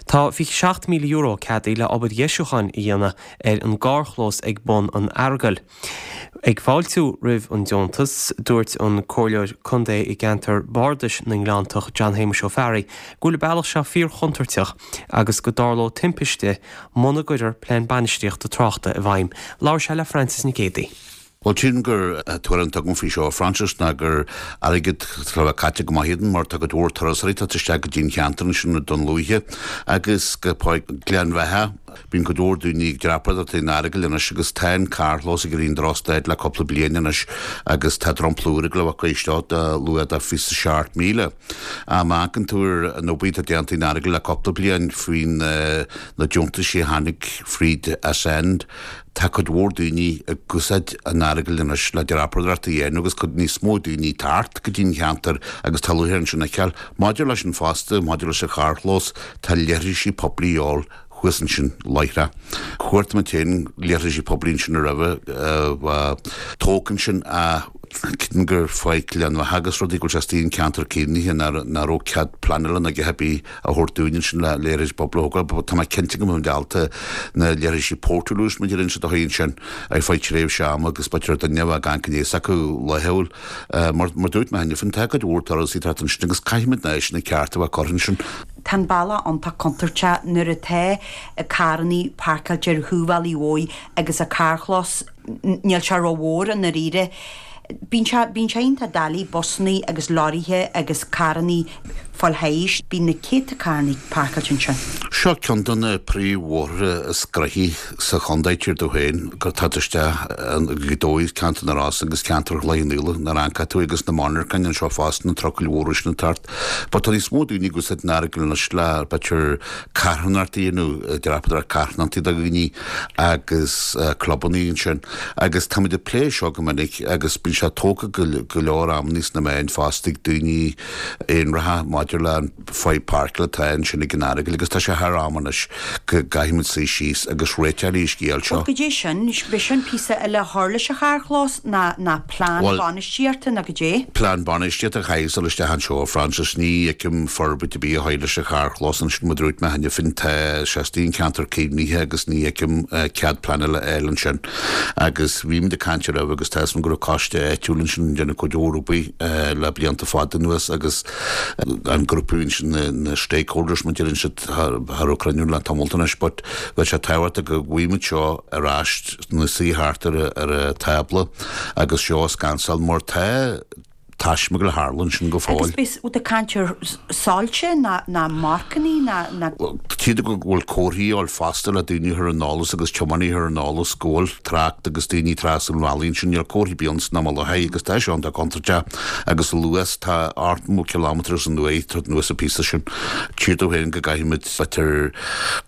Tá €27,000 ceadaithe le obair dheisiúcháin a dhéanamh ar an gcarrchlós ag bun an Earagail. Ag fáiltiú roimh an deontas, dúirt an Comhairleoir Contae i gceantar Bardais na nGleanntach, John Shéamuis Ó Fearraigh, go bhfuil an bealach seo fíorchontúirteach agus go dtarlódh timpiste muna gcuirfear plean bainistíochta tráchta i bhfeidhm. Labhair sé le Frances Nic Géadaigh. Bhuel, sílim gur tuairim atá agam faoi seo, a Frances, ná gur airgead atá le bheith caite go maith iad mar tá cuid mhór turasóirí ag teacht isteach go dtí an cheantar ansin i Dún Lúiche agus go Páirc Ghleann Bheatha. Bíonn cuid mhór daoine ag dreapadóireacht an Earagail anois agus tá an carrchlós ag éirí drochstaid le cúpla bliain anois agus tá dromchla úr ag gabháil a bheith curtha isteach de luach de 27,000. Má amharcann tú ar an obair atá déanta in Earagail le cúpla bliain faoin na deontaisí a tháinig fríd Ascend, Tá cuid mhór daoine ag úsáid an Earagail anois le dreapadóireacht a dhéanamh agus cuid níos mó daoine ag teacht go dtí an cheantar agus tá lúcháir ansin a fheiceáil. Maidir leis an fosta, maidir leis an charrchlós, tá leithrisí poiblí a dhíobháil thuas ansin láithreach. Chuartaigh muid féin leithrisí poiblí ansin roimhe a bheith tógtha ansin ach creidim gur fá Ghleann Bheatha agus rudaí go bhfuil sé istigh in ceantar caomhnaithe nach raibh cead pleanála ná a dhath ar bith a thabhairt dúinn ansin le leithris poiblí a thógáil. Tá mé cinnte go mbeidh muid ábalta na leithrisí portaloos mar a deireann siad a shuí ansin ar feadh tréimhse ama agus b'fhéidir duine a bheith ag amharc aníos acu laethúil. Mar mar dúirt mé cheana féin, tá cuid mhór turasóirí ag teacht ansin agus caithfimid na áiseanna cearta a bheith curtha ansin. Tá an bealach iontach contúirteach nuair atá carrannaí páirceáilte ar thaobh an bhealaigh mhóir agus an carrchlós Níl sé rómhór i ndáiríre. Bíonn sé, bíonn sé iontach doiligh busannaí agus leoraithe agus carrannaí fáil thairis. Bíonn na céadta carrannaí páirceáilte ansin. Seo ceann de na príomhbhóithre is gnoithí sa chontae, tír domh féin, gur tá isteach go dóigh ceantar na Rosann agus ceantar Chloich Cheann Fhaola, nuair a amharcann tú agus na monarchain anseo fosta, na trucail mhóra sin ag teacht. But tá níos mó daoine ag úsáid an Earagail anois le, b'fhéidir, carthanachtaí nó dreapadóireacht carthanachtaí do dhaoine agus clubannaí ansin agus táimid ag plé seo go minic agus bíonn sé tógtha go leor amannaí sna meáin fosta ag daoine aonracha maidir le an fadhb páirceála atá ansin ag an Earagail agus tá sé thar am anois go gcaithfimid suí síos agus réiteach ar an scéal seo. Bhuel goidé sin, b'é sin píosa eile a chur leis an charrchlós ná ná plean bainistíochta nó goidé? Plean bainistíochta a chaithfidh dul isteach anseo, a Frances. Ní fheicim forbairt ar bith a chur leis an charrchlós ansin, mar dúirt mé cheana féin, tá sé istigh in ceantar caomhnaithe agus ní fheicim cead pleanála a fháil ansin. Agus bhí muid ag caint roimhe agus tá 'fhios a'm go raibh coiste áitiúil ansin ag déanamh cuid mhór obair le blianta fada anuas agus an grúpa ansin, na stakeholders mar a deireann siad, cha raibh cruinniú le tamalt anois but bheadh sé tábhachtach go bhfaighidh muid seo ar ais ina suí thart ar an tábla agus seo a scansáil mar tá taisme ag tarlú ansin go fóill. Agus beidh tú ag caint ar soilse ná ná marcannaí ná ná. Tchíd go bhfuil comharthaí a dhíobháil fosta le daoine a chur ar an eolas agus tiománaithe a chur ar an eolas go bhfuil trácht agus daoine trasna an bhealaigh ansin. Níl comharthaí ar bith ann san am i láthair agus tá seo iontach contúirteach agus a luas tá 80 kilometres an uair ag anuas an píosa sin. Tchítear domh féin go gcaithfimid b'fhéidir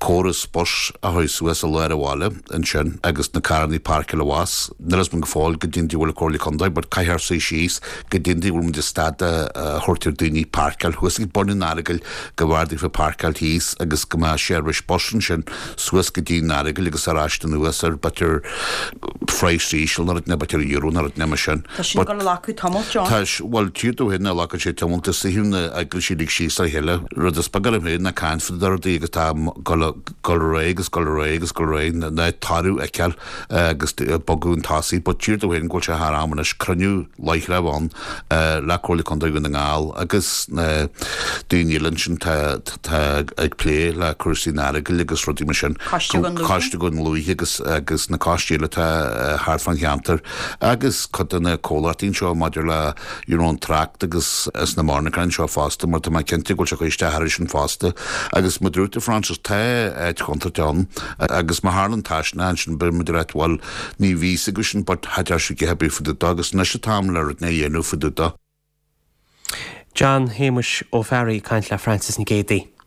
córas bus a chur suas i lár an bhaile. ansin agus na carrannaí páirceáil abhus. Níl a fhios agam go fóill goidé an dóigh a bhfuil an Comhairle Contae but caithfear suí síos goidé an dóigh a bhfuil muid ag stad a thabhairt ar daoine páirceáil thuas ag bun an Earagail go mb'fhearr daofa páirceáil thíos agus go mbeadh seirbhís bus ansin suas go dtí an Earagail agus ar ais anuas ar b'fhéidir praghas íseal nó rud nó b'fhéidir euro nó rud mar sin. Tá sin ag dul a ghlacadh tamalt, John. Tá, bhuel, tchítear domh féin a ghlacann sé tamalt is suíomh na eaglaisí uilig síos le chéile. Rud is beag orm féin ná caint fá rudaí agus tá dul dul ar aghaidh agus dul ar aghaidh agus dul ar aghaidh ná toradh a fheiceáil agus bogadh chun tosaigh. But tchítear domh féin go bhfuil sé thar am anois cruinniú láithreach a bheith ann le Comhairle Contae Dhún na nGall agus na daoine eile ansin tá ag plé le cúrsaí an Earagail agus rudaí mar sin. Coiste Dhún Lúiche. Coiste Dhún Lúiche agus agus na coistí eile atá thart fán cheantar agus cuid de na comhlachtaí anseo maidir le you know an trácht agus is na monarchana anseo fosta mar tá mé cinnte go bhfuil sé ag cur isteach air sin fosta agus mar dúirt tú Frances tá áit chontúirteach ann agus má tharlaíonn taisme ansin beidh muid ag ráit bhuel ní bhí fhios againn sin but cha deir siad a dhath ar bith fá dtaobh dó agus anois an t-am le rud a dhéanamh fá dtaobh dó. John Shéamuis Ó Fearraigh ag caint le Frances Nic Géadaigh.